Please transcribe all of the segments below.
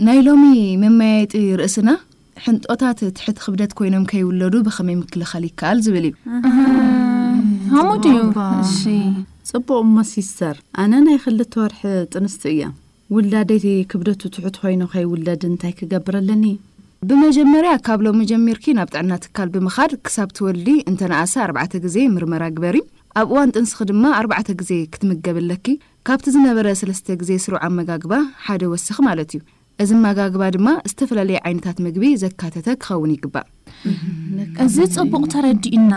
ናይ ሎሚ መመያየጢ ርእስና፣ ሕንጦታት ትሕት ክብደት ኮይኖም ከይውለዱ ብኸመይ ምክልኻል ይከኣል ዝብል እዩ። ሃሙድ እዩ። እሺ። ጽቡቕ እሞ ሲስተር፣ ኣነ ናይ ክልተ ወርሒ ጥንስቲ እያ። ውላደይ ክብደቱ ትሑት ኮይኑ ከይውለድ እንታይ ክገብር ኣለኒ? ብመጀመርያ፣ ካብ ሎሚ ጀሚርኪ ናብ ጥዕና ትካል ብምኻድ ክሳብ ትወልዲ እንተነኣሰ ኣርባዕተ ግዜ ምርመራ ግበሪ። ኣብ እዋን ጥንስኺ ድማ ኣርባዕተ ግዜ ክትምገብ ኣለኪ። ካብቲ ዝነበረ ሰለስተ ግዜ ስሩዕ ኣመጋግባ ሓደ ወስኺ ማለት እዩ። እዚ ኣመጋግባ ድማ ዝተፈላለየ ዓይነታት ምግቢ ዘካተተ ክኸውን ይግባእ። እዚ ጽቡቕ ተረዲእና።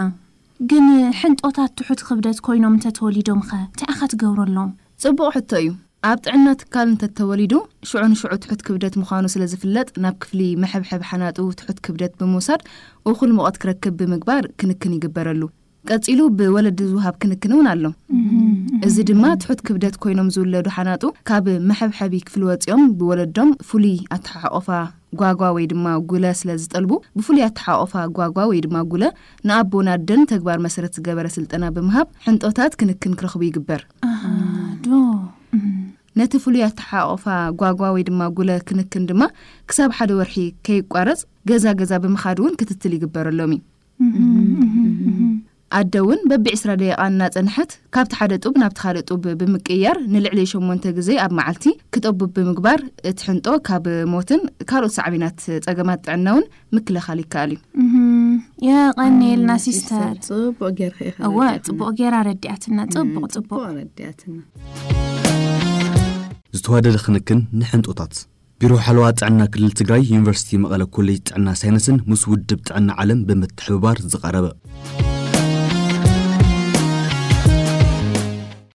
ግን ሕንጦታት ትሑት ክብደት ኮይኖም እንተተወሊዶም ኸ እንታይ ኢኻ ትገብረሎም? ጽቡቕ ሕቶ እዩ። ኣብ ጥዕና ትካል እንተተወሊዱ ሽዑ ንሽዑ ትሑት ክብደት ምዃኑ ስለ ዝፍለጥ፣ ናብ ክፍሊ መሐብሐብ ሓናጡ ትሑት ክብደት ብምውሳድ እኹል ሙቐት ክረክብ ብምግባር ክንክን ይግበረሉ። ቀጺሉ ብወለዲ ዝወሃብ ክንክን እውን ኣሎ። እዚ ድማ ትሑት ክብደት ኮይኖም ዝውለዱ ሓናጡ ካብ መሐብሐቢ ክፍሊ ወጺኦም ብወለዶም ፍሉይ ኣተሓቆፋ ጓጓ ወይ ድማ ጉለ ስለ ዝጠልቡ፣ ብፍሉይ ኣተሓቆፋ ጓጓ ወይ ድማ ጉለ ንኣቦን ኣደን ተግባር መሰረት ዝገበረ ስልጠና ብምሃብ ሕንጦታት ክንክን ክረኽቡ ይግበር። ዶ ነቲ ፍሉይ ኣተሓቆፋ ጓጓ ወይ ድማ ጉለ ክንክን ድማ ክሳብ ሓደ ወርሒ ከይቋረጽ ገዛ ገዛ ብምኻድ እውን ክትትል ይግበረሎም እዩ። ኣደ እውን በቢ ዕስራ ደቂቓ እናጸንሐት ካብቲ ሓደ ጡብ ናብቲ ካልእ ጡብ ብምቅያር ንልዕሊ ሸሞንተ ግዜ ኣብ መዓልቲ ክጠቡ ብምግባር፣ እቲ ሕንጦ ካብ ሞትን ካልኦት ሳዕቤናት ጸገማት ጥዕና እውን ምክልኻል ይከኣል እዩ። የቐንየልና ሲስተር። ጽቡቕ ጌርካ ኢኻ እወ ረዲእኻና። ጽቡቕ ጌራ ረዲኣትና። ጽቡቕ ጽቡቕ። ረዲኣትና። ዝተዋደደ ክንክን ንሕንጦታት። ቢሮ ሓለዋ ጥዕና ክልል ትግራይ፣ ዩኒቨርሲቲ መቐለ ኮሌጅ ጥዕና ሳይንስን ምስ ውድብ ጥዕና ዓለም ብምትሕብባር ዝቐረበ።